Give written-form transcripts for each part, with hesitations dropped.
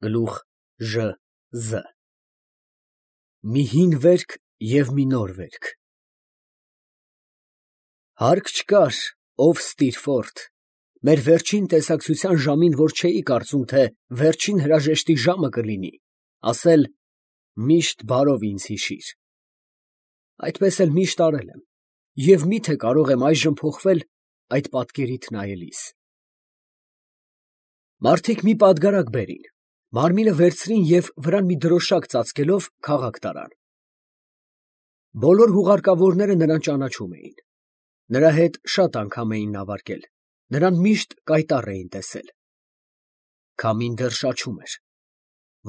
Գլուխ Ժ Զ մի հին վերք և մի նոր վերք։ Հարկ չկար, ով Ստիրֆորդ, մեր վերջին տեսակցության ժամին, որ չէի կարծում, թե վերջին հրաժեշտի ժամը կլինի, ասել «Միշտ բարով ինձ հիշիր»։ Այդպես էլ միշտ արել եմ, և մի՞թե կարող եմ այժմ փոխվել այդ պատկերիդ նայելիս։ Մարդիկ մի պատգարակ բերին, մարմինը վերցրին և վրան մի դրոշակ ծածկելով քաղաք տարան։ Բոլոր հուղարկավորները նրան ճանաչում էին, նրա հետ շատ անգամ էին նավարկել, նրան միշտ կայտառ էին տեսել։ Քամին դեռ շաչում էր,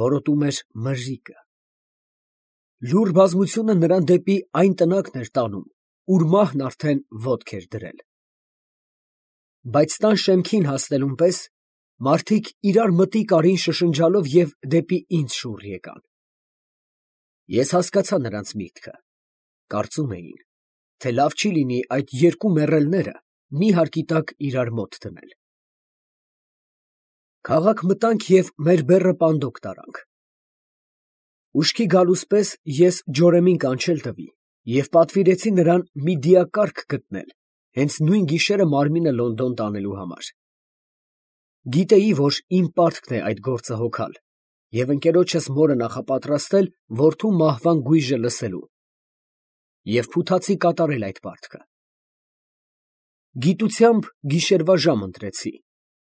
որոտում էր մրրիկը։ Լուռ բազմությունը նրան դեպի այն տնակն էր տանում, ուր մահն արդեն ոտք էր դրել։ Բայց տան շեմքին հասնելուն պես մարդիկ իրար մտիկ արին շշնջալով և դեպի ինձ շուռ եկան։ Ես հասկացա նրանց միտքը, կարծում էին, թե լավ չի լինի այդ երկու մեռելները մի հարկի տակ իրար մոտ դնել։ Քաղաք մտանք և մեր բեռը պանդոկ տարանք։ Ուշքի գալուս պես ես ջորեմին կանչել տվի և պատվիրեցի նրան մի դիակարգ գտնել հենց նույն գիշերը մարմինը Լոնդոն տանելու համար։ Գիտեի, որ իմ պարտքն է այդ գործը հոգալ և ընկերոջս մորը նախապատրաստել որդու մահվան գույժը լսելու և փութացի կատարել այդ պարտքը։ Գիտությամբ գիշերվա ժամ ընտրեցի,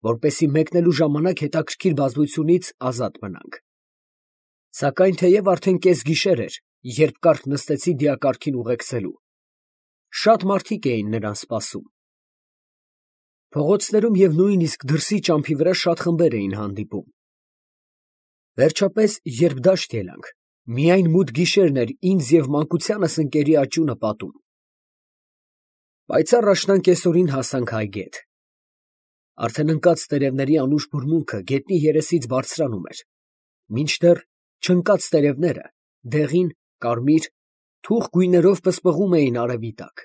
որպեսզի մեկնելու ժամանակ հետաքրքիր բազմությունից ազատ մնանք։ Սակայն թեև արդեն կեսգիշեր էր, երբ կարճ նստեցի դիակարգին ուղեկցելու, շատ մարդիկ էին նրան սպասում։ Փողոցներում և նույնիսկ դրսի ճամփի վրա շատ խմբեր էին հանդիպում։ Վերջապես, երբ դաշտ ելանք, միայն մութ գիշերն էր ինձ և մանկությանս ընկերի աճյունը պատում։ Պայծառ աշնան կեսօրին հասանք այգետ։ Արդեն ընկած տերևների անուշ բուրմունքը գետնի երեսից բարձրանում էր, մինչդեռ չընկած տերևները դեղին, կարմիր, թուխ գույներով պսպղում էին արևի տակ։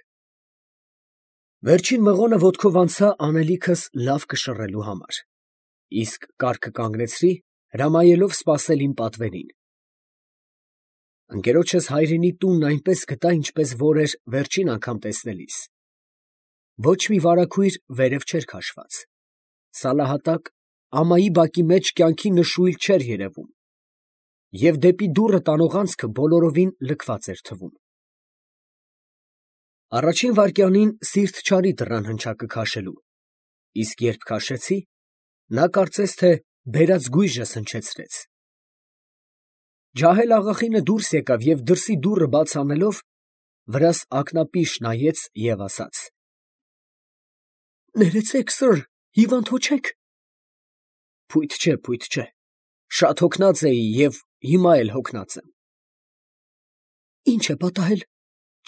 Վերջին մղոնը ոտքով անցա անելիքս լավ կշռելու համար, իսկ կառքը կանգնեցրի, հրամայելով սպասել իմ պատվերին։ Ընկերոջս հայրենի տունն այնպես գտա, ինչպես որ էր վերջին անգամ տեսնելիս։ Ոչ մի վարագույր վերև չէր քաշված, սալահատակ, ամայի բակի մեջ կյանքի նշույլ չէր երևում, և դեպի դուռը տանող անցքը բոլորովին լքված էր թվում։ Առաջին վայրկյանին սիրտ չարի դռան հնչակը քաշելու, իսկ երբ քաշեցի, նա կարծես թե բերած գույժս հնչեցրեց։ Ջահել֊աղախինը դուրս եկավ և դրսի դուռը բաց անելով, վրաս ակնապիշ նայեց և ասաց. «Ներեցեք, սըր, հիվանդ հո չեք»։ Փույթ չէ, շատ հոգնած էի և հիմա էլ հոգնած եմ։ Ի՞նչ է պատահել,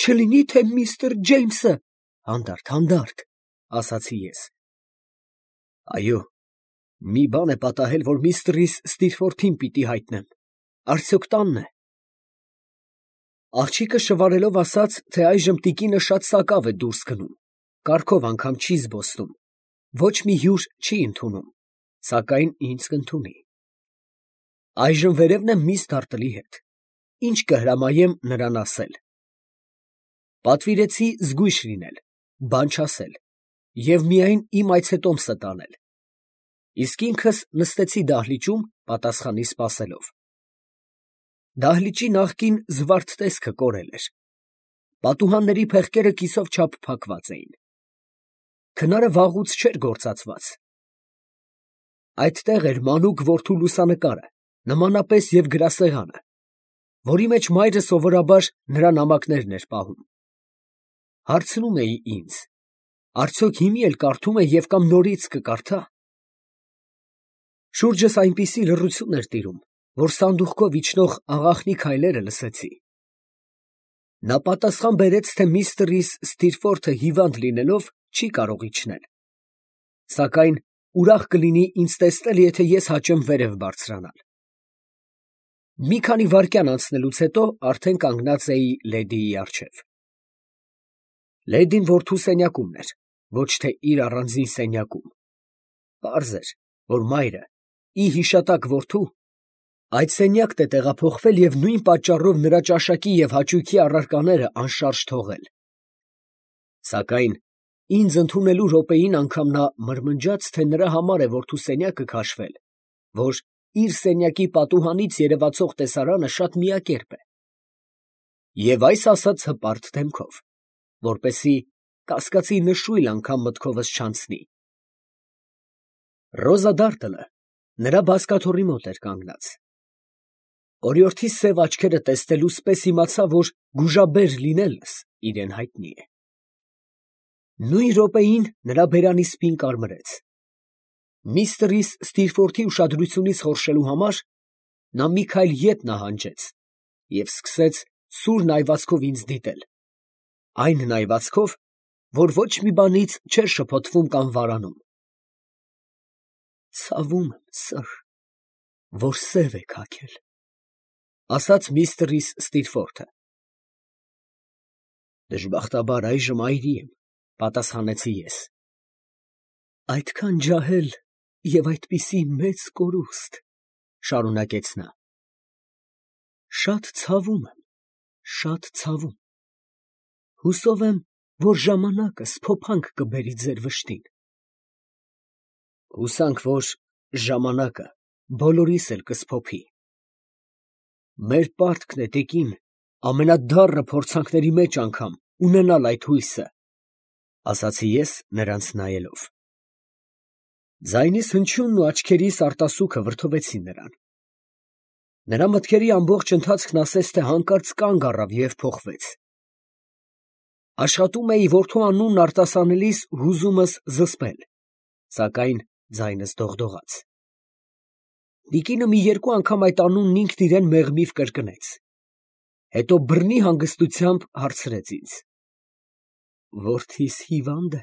չլինի թե միստր Ջեյմսը։ Հանդարտ, ասացի ես։ Այո, մի բան է պատահել, որ միստրիս Ստիրֆորդին պիտի հայտնեմ, արդյոք տանն է։ Աղջիկը շվարելով ասաց, թե այժմ տիկինը շատ սակավ է դուրս գնում, կառքով անգամ չի զբոսնում, ոչ մի հյուր չի ընդունում, սակայն ինձ կընդունի։ Այժմ վերևն եմ միս Դարտլի հետ, ինչ կհրամայեմ նրան ասել։ Պատվիրեցի զգույշ լինել, բան չասել և միայն իմ այցետոմսը տանել, իսկ ինքս նստեցի դահլիճում պատասխանի սպասելով։ Դահլիճի նախկին զվարթ տեսքը կորել էր, պատուհանների փեղկերը կիսով չափ փակված էին, քնարը վաղուց չէր գործածված։ Այդտեղ էր մանուկ որդու լուսանկարը, նմանապես և գրասեղանը, որի մեջ մայրը սովորաբար նրա նամակներն էր պահում։ Հարցնում էի ինձ. արդյոք հիմի էլ կարդում է և կամ նորից կկարդա։ Շուրջս այնպիսի լռություն էր տիրում, որ սանդուղքով իջնող աղախնի քայլերը լսեցի։ Նա պատասխան բերեց, թե միստր Ստիրֆորդը հիվանդ լինելով չի կարող իջնել, սակայն ուրախ կլինի ինձ տեսնել, եթե ես հաճեմ վերև բարձրանալ։ Մի քանի վայրկյան անցնելուց հետո արդեն կանգնած էի լեդիի առջև։ Լեդին որդու սենյակումն էր, ոչ թե իր առանձին սենյակում։ Պարզ էր, որ մայրը ի հիշատակ որդու Այդ սենյակն է տեղափոխվել և նույն պատճառով նրա ճաշակի և հաճույքի առարկաները անշարժ թողել։ Սակայն ինձ ընդունելու րոպեին անգամ նա մրմնջաց, թե նրա համար է որդու սենյակը քաշվել, որ իր սենյակի պատուհանից երևացող տեսարանը շատ միակերպ է, և այս ասաց հպարտ դեմքով, որպեսզի կասկածի նշույլ անգամ մտքովս չանցնի։ Ռոզա Դարտլը նրա բազկաթոռի մոտ էր կանգնած։ Օրիորդի սև աչքերը տեսնելուց պես իմացա, որ գուժաբեր լինելս իրեն հայտնի է։ Նույն րոպեին նրա բերանի սպին կարմրեց։ Միստր Ստիրֆորթի ուշադրությունից խորշելու համար նա մի քայլ ետ նահանջեց և սկսեց սուր նայվածքով ինձ դիտել, այն նայվածքով, որ ոչ մի բանից չէր շփոթվում կամ վարանում։ «Ցավում եմ, սըր, որ սև եք հագել», ֊ ասաց միստր Ստիրֆորթը։ «Դժբախտաբար այժմ այրի եմ», ֊ պատասխանեցի ես։ «Այդքան ջահել և այդպիսի մեծ կորուստ, ֊ շարունակեց նա, ֊ շատ ցավում եմ, շատ ցավում. հուսով եմ, որ ժամանակս փոփանք կբերի ձեր վշտին»։ Հուսանք, որ ժամանակը բոլորիս էլ կսփոփի։ Մեր պարտքն է, տիկին, ամենադառն փորձանքների մեջ անգամ ունենալ այդ հույսը, ֊ ասացի ես նրանց նայելով։ Ձայնիս հնչյունն ու աչքերիս արտասուքը վրդովեցին նրան։ Նրա մտքերի ամբողջ ընթացքն ասես թե հանկարծ կանգ առավ և փոխվեց։ Աշխատում էի որդու անունն արտասանելիս հուզումս զսպել, սակայն ձայնս դողդողաց։ Տիկինը մի երկու անգամ այդ անունն ինքն իրան մեղմիվ կրկնեց, հետո բռնի հանգստությամբ հարցրեց ինձ. «Որդիս հիվա՞նդ է»։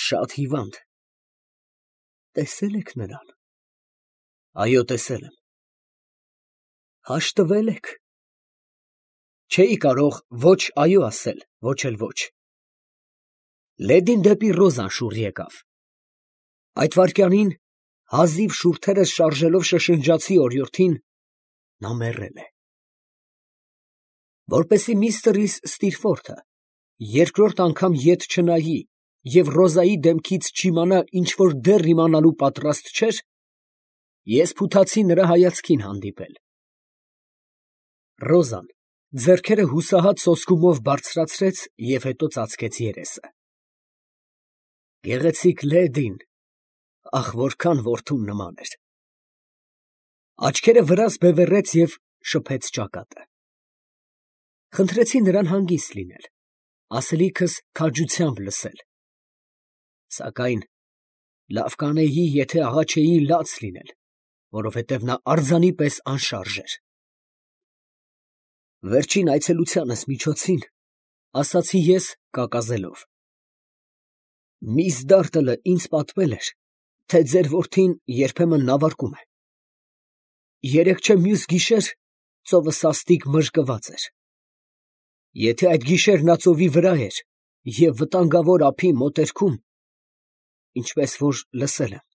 «Շատ հիվանդ»։ «Տեսե՞լ եք նրան»։ «Այո, տեսել եմ»։ «Հաշտվե՞լ եք»։ Չէի կարող ոչ այո ասել, ոչ էլ ոչ։ Լեդին դեպի Ռոզան շուռ եկավ։ Այդ վայրկյանին, հազիվ շուրթերս շարժելով շշնջացի օրիորդին. նա մեռել է։ Որպեսզի միստր Ստիրֆորթը երկրորդ անգամ ետ չնայի և Ռոզայի դեմքից չիմանա ինչ որ դեռ իմանալու պատրաստ չէր, ես փութացի նրա հայացքին հանդիպել։ Ռոզան ձեռքերը հուսահատ սոսկումով բարձրացրեց և հետո ծածկեց երեսը։ Գեղեցիկ լեդին, ախ, որքան որդուն նման էր։ Աչքերը վրաս բևեռեց և շփեց ճակատը։ Խնդրեցի նրան հանգիստ լինել, ասելիքս քաջությամբ լսել։ Սակայն լավ կանեի, եթե աղա չէի լաց լինել, որովհետև նա արձանի պես անշարժ էր։ Վերջին այցելությանս միջոցին, ասացի ես կակազելով, միս Դարտլը ինձ պատմել էր, թե ձեր որդին երբեմն նավարկում է։ Երեկ չէ մյուս գիշեր ծովը սաստիկ մրրկված էր։ Եթե այդ գիշեր նա ծովի վրա էր և վտանգավոր ափի մոտերքում, ինչպես որ լսել եմ,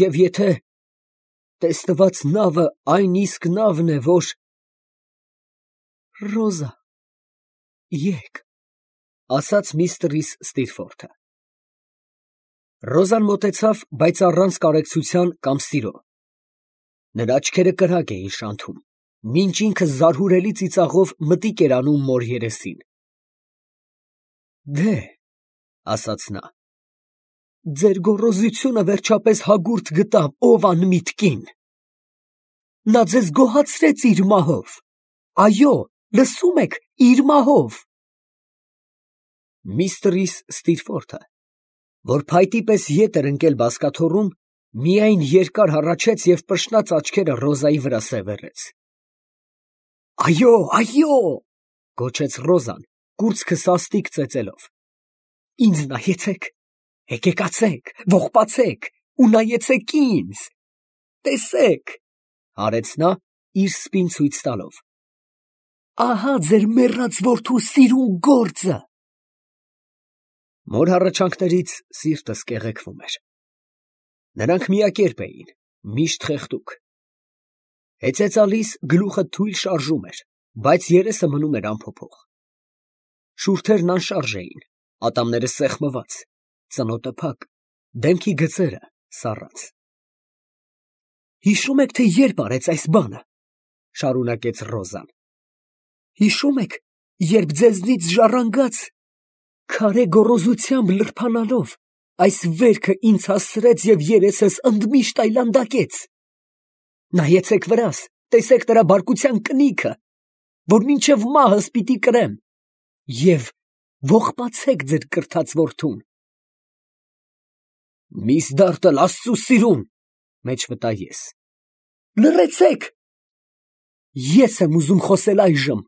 և եթե տեսնված նավը այն իսկ նավն է, որ… Ռոզա, եկ, ֊ ասաց միստր Ստիրֆորթը։ Ռոզան մոտեցավ, բայց առանց կարեկցության կամ սիրո։ Նրա աչքերը կրակ էին շանթում, մինչ ինքը զարհուրելի ծիծաղով մտիկ էր անում մոր երեսին։ Դե, ֊ ասաց նա, ֊ ձեր գոռոզությունը վերջապես հագուրդ գտավ, ով անմիտ կին. նա ձեզ գոհացրեց իր մահով, այո, լսում եք, իր մահով… Միստր Ստիրֆորթը, որ փայտի պես ետ էր ընկել բազկաթոռում, միայն երկար հառաչեց և պշնած աչքերը Ռոզայի վրա սևեռեց։ «Այո, այո», ֊ գոչեց Ռոզան, կուրծքը սաստիկ ծեծելով, ֊ ինձ նայեցեք, հեկեկացեք, ողբացեք ու նայեցեք ինձ, տեսեք, ֊ արեց նա, իր սպին ցույց տալով, ֊ ահա ձեր մեռած որդու սիրուն գործը։ Մոր հառաչանքներից սիրտս կեղեքվում էր։ Նրանք միակերպ էին, Միշտ խեղդուկ։ Հեծեծալիս գլուխը թույլ շարժում էր, բայց երեսը մնում էր անփոփոխ։ Շուրթերն անշարժ էին, ատամները սեղմված, ծնոտը փակ, դեմքի գծերը սառած։ Հիշո՞ւմ եք, թե երբ արեց այս բանը, շարունակեց Ռոզան։ Հիշո՞ւմ եք, երբ ձեզնից ժառանգած, քարե գոռոզությամբ լրփանալով, այս վերքը ինձ հասցրեց և երեսս ընդմիշտ այլանդակեց։ Նայեցեք վրաս, տեսեք նրա բարկության կնիքը, որ մինչև մահս պիտի կրեմ, և ողբացեք ձեր կրթած որդուն։ Միսդարտը Աստծու սիրուն, մեջ վտա ես։ Լռեցեք։ Ես եմ ուզում խոսել այժմ,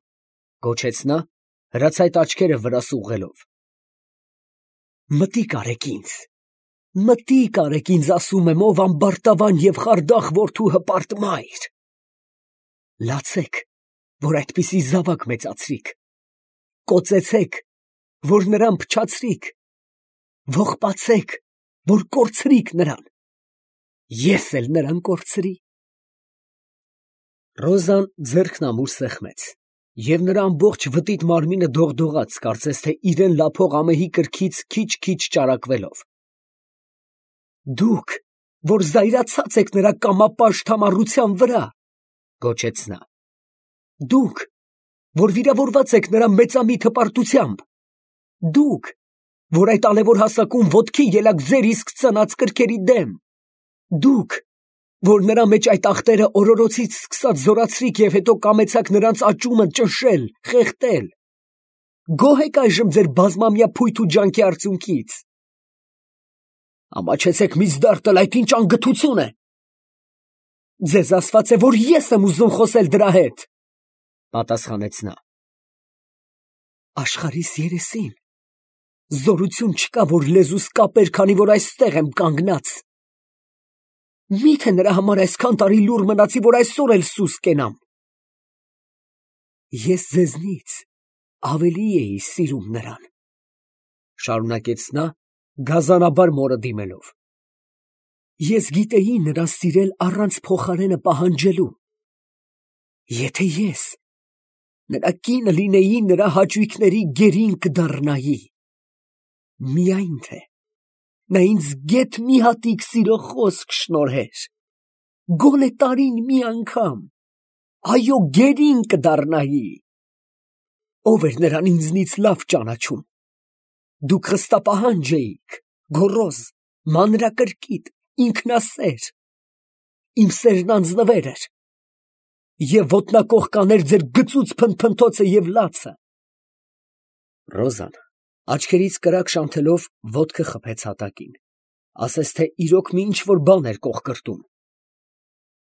գոչեց նա, հրացայտ աչքերը վրաս ուղղելով։ Մտիկ արեք ինձ, ասում եմ, ով ամբարտավան և խարդախ որդու հպարտ մայր։ Լացեք, որ այդպիսի զավակ մեծացրիք, կոծեցեք, որ նրան փչացրիք, ողբացեք, որ կորցրիք նրան, ես էլ նրան կորցրի։ Ռոզան ձեռքն ամուր սեղմեց, և նրա ամբողջ վտիտ մարմինը դողդողաց, կարծես թե իրեն լափող ամեհի կրքից քիչ-քիչ ճարակվելով։ Դուք, որ զայրացած եք նրա կամապաշտ համառության վրա, գոչեց նա, դուք, որ վիրավորված եք նրա մեծամիտ հպարտությամբ, դուք, որ այդ ալևոր հասակում ոտքի ելաք ձեր իսկ ծնած կրքերի դեմ, դուք, որ նրա մեջ այդ ախտերը օրորոցից սկսած զորացրիք և հետո կամեցաք նրանց աճումը ճնշել, խեղդել, գոհ եք այժմ ձեր բազմամյա փույթ ու ջանքի արդյունքից։ Ամաչեցեք Միսդարտը, այդ ինչ անգթություն է։ Ձեզ ասված է, որ ես եմ ուզում խոսել դրա հետ, պատասխանեց նա։ Աշխարհիս երեսին զորություն չկա, որ լեզուս կապեր, քանի որ այստեղ եմ կանգնած։ Մի՞թե նրա համար այսքան տարի լուռ մնացի, որ այսօր էլ սուս կենամ։ Ես ձեզնից ավելի էի սիրում նրան, շարունակեց նա, գազանաբար մորը դիմելով։ Ես գիտեի նրան սիրել առանց փոխարենը պահանջելու։ Եթե ես նրա կինը լինեի, նրա հաճույքների գերին կդառնայի։ Միայն թե նա ինձ գեթ մի հատիկ սիրո խոսք շնորհեր, գոնե տարին մի անգամ, այո, գերին կդառնայի։ Ով էր նրան ինձնից լավ ճանաչում։ Դուք խստապահանջ էիք, գոռոզ, մանրակրկիտ, ինքնասեր։ Իմ սերն անձնվեր էր, և ոտնակոխ կաներ ձեր գծուծ փնթփնթոցը և լացը։ Ռոզան աչքերից կրակ շանթելով ոտքը խփեց հատակին, ասես թե իրոք մի ինչ-որ բան էր կոխկրտում։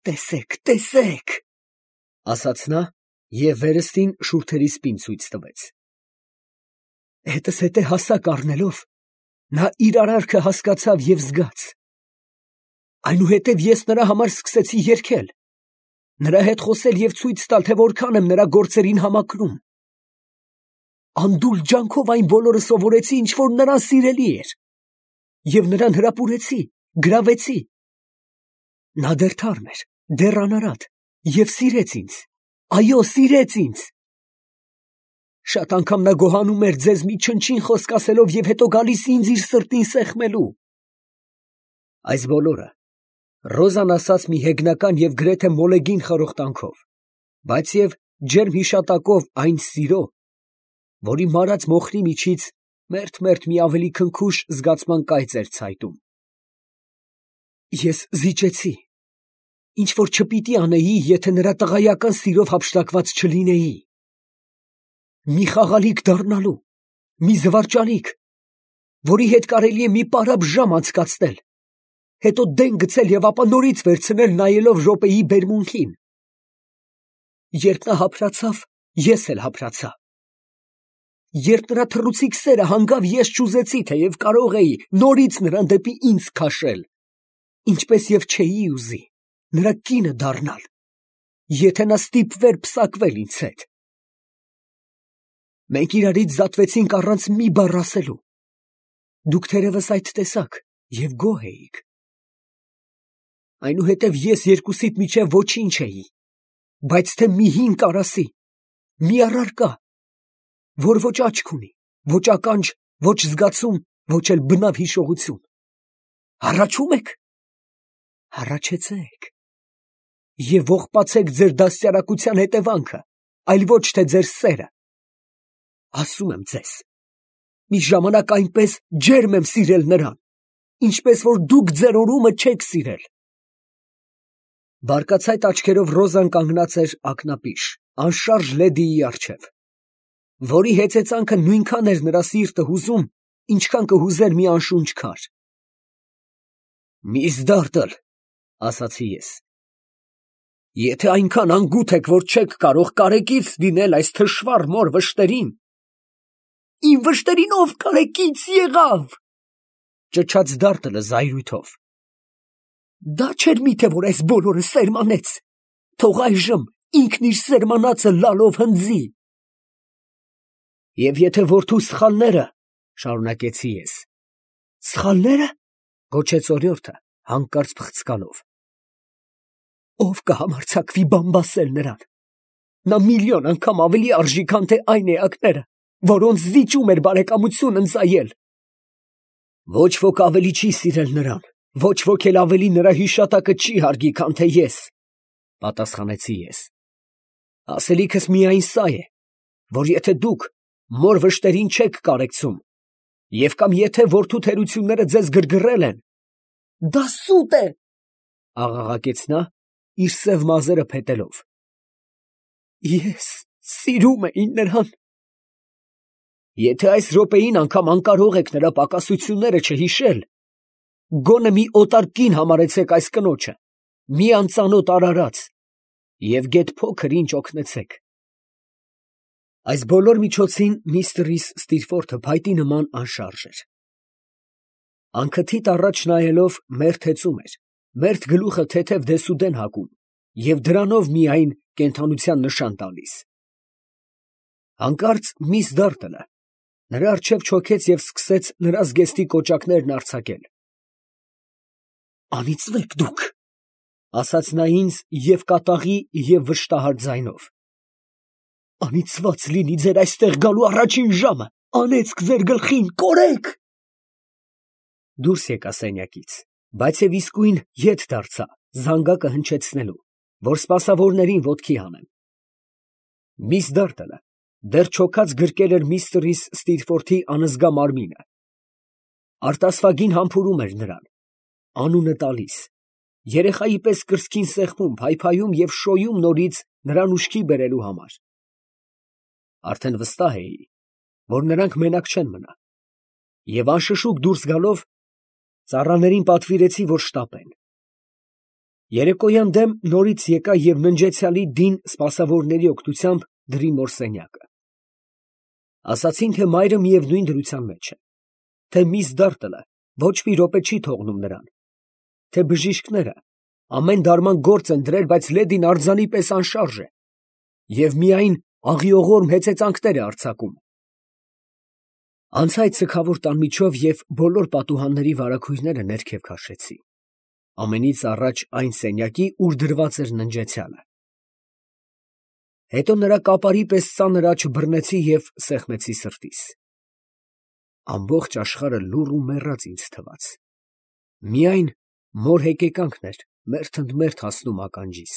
Տեսեք, ասաց նա և վերստին շուրթերի սպին ցույց տվեց։ Հետս հետե հասակ առնելով, նա իր արարքը հասկացավ և զգաց։ Այնուհետև ես նրա համար սկսեցի երգել, նրա հետ խոսել և ցույց տալ, թե որքան եմ նրա գործերին համակրում։ Անդուլ ջանքով այն բոլորը սովորեցի, ինչ որ նրան սիրելի էր, և նրան հրապուրեցի, գրավեցի։ Նա դեռ թարմ էր, դեռ անարատ, և սիրեց ինձ, այո, սիրեց ինձ։ Շատ անգամ նա գոհանում էր ձեզ մի չնչին խոսք ասելով և հետո գալիս ինձ իր սրտին սեղմելու։ Այս բոլորը Ռոզան ասաց մի հեգնական և գրեթե մոլեգին խրոխտանքով, բայց և ջերմ հիշատակով այն սիրո, որի մարած մոխրի միջից մերթ-մերթ մի ավելի քնքուշ զգացման կայծ էր ցայտում։ Ես զիջեցի, ինչ որ չպիտի անեի, եթե նրա տղայական սիրով հափշտակված չլինեի։ Մի խաղալիք դառնալու, մի զվարճալիք, որի հետ կարելի է մի պարապ ժամ անցկացնել, հետո դեն գցել և ապա նորից վերցնել, նայելով րոպեի բերմունքին։ Երբ նա հափրացավ, ես էլ հափրացա։ Երբ նրա թռուցիկ սերը հանգավ, ես չուզեցի, թեև կարող էի նորից նրան դեպի ինձ քաշել, ինչպես և չէի ուզի նրա կինը դառնալ, եթե նա ստիպվեր պսակվել ինձ հետ։ Մենք իրարից զատվեցինք առանց մի բառ ասելու։ Դուք թերևս այդ տեսաք և գոհ էիք։ այնուհետև ես երկուսիդ միջև ոչինչ էի, բայց թե մի հին կարասի, մի առարկա, որ ոչ աչք ունի, ոչ ականջ, ոչ զգացում, ոչ էլ բնավ հիշողություն։ Հառաչում եք, հառաչեցեք և ողբացեք ձեր դաստիարակության հետևանքը, այլ ոչ թե ձեր սերը։ Ասում եմ ձեզ, մի ժամանակ այնպես ջերմ եմ սիրել նրան, ինչպես որ դուք ձեր օրումը չեք սիրել։ Բարկացայտ աչքերով Ռոզան կանգնած էր ակնապիշ, անշարժ լեդիի առջև, որի հեծեծանքը նույնքան էր նրա սիրտը հուզում, ինչքան կհուզեր մի անշունչ քար։ «Միս Դարտլ», ասացի ես, «եթե այնքան անգութ եք, որ չեք կարող կարեկից լինել այս թշվառ մոր վշտերին»։ «Իմ վշտերին ով կարեկից եղավ», ճչաց Դարտլը զայրույթով։ «Դա չէր միթե որ այս բոլորը սերմանեց, թող այժմ ինքն իր սերմանածը լալով հնձի»։ «Եվ եթե որդու սխալները, ֊ շարունակեցի ես, ֊ սխալնե՞րը, ֊ գոչեց օրիորդը հանկարծ փխցկալով, ֊ ով կհամարձակվի բամբասել նրան, նա միլիոն անգամ ավելի արժի, քան թե այն էակները, որոնց զիջում էր բարեկամություն ընծայել։ Ոչ ոք ավելի չի սիրել նրան, ոչ ոք էլ ավելի նրա հիշատակը չի հարգի, քան թե ես, ֊ պատասխանեցի ես։ Ասելիքս միայն սա է, որ եթե դուք մոր վշտերին չեք կարեկցում, և կամ եթե որդու թերությունները ձեզ գրգռել են, ֊ դա սուտ է, ֊ աղաղակեց նա, իր սև մազերը փետելով, ֊ ես սիրում էի նրան։ Եթե այս րոպեին անգամ անկարող եք նրա պակասությունները չհիշել, գոնե մի օտար կին համարեցեք այս կնոջը, մի անծանոթ արարած, և գեթ փոքր ինչ օգնեցեք։ Այս բոլոր միջոցին միստր Ստիրֆորթը փայտի նման անշարժ էր։ Անքթիթ առաջ նայելով մերթ հեծում էր, մերթ գլուխը թեթև դեսուդեն հագում և դրանով միայն կենդանության նշան տալիս։ Հանկարծ միս Դարտլը նրա առջև չոքեց և սկսեց նրա զգեստի կոճակներն արձակել։ «Անիծվեք դուք, ֊ ասաց նա ինձ և կատաղի և վշտահար ձայնով, ֊ անիծված լինի ձեր այստեղ գալու առաջին ժամը, անեծք ձեր գլխին, կորեք»։ Դուրս եկա սենյակից, բայց և իսկույն ետ դարձա զանգակը հնչեցնելու, որ սպասավորներին ոտքի հանեմ։ Միս Դարտլը դեռ չոքած գրկել էր միստր Ստիրֆորթի անզգա մարմինը, արտասվագին համբուրում էր նրան, անունը տալիս, երեխայի պես կրծքին սեղմում, փայփայում և շոյում նորից նրան ուշքի բերելու համար։ Արդեն վստահ էի, որ նրանք մենակ չեն մնա, և անշշուկ դուրս գալով, ծառաներին պատվիրեցի, որ շտապեն։ Երեկոյան դեմ նորից եկա և ննջեցյալի դին սպասավորների օգնությամբ դրի մոր սենյակը։ Ասացին, թե մայրը միևնույն դրության մեջ է, թե միս Դարտլը ոչ մի րոպե չի թողնում նրան, թե բժիշկները ամեն դարման գործ են դրել, բայց լեդին արձանի պես անշարժ է և միայն աղիողորմ հեծեծանքներ է արձակում։ Անցա այդ սգավոր տան միջով և բոլոր պատուհանների վարագույրները ներքև քաշեցի, ամենից առաջ այն սենյակի, ուր դրված էր ննջեցյալը։ Հետո նրա կապարի պես ծանր աջ բռնեցի և սեղմեցի սրտիս։ Ամբողջ աշխարհը լուռ ու մեռած ինձ թվաց, միայն մոր հեկեկանքն էր մերթ ընդ մերթ հասնում ականջիս։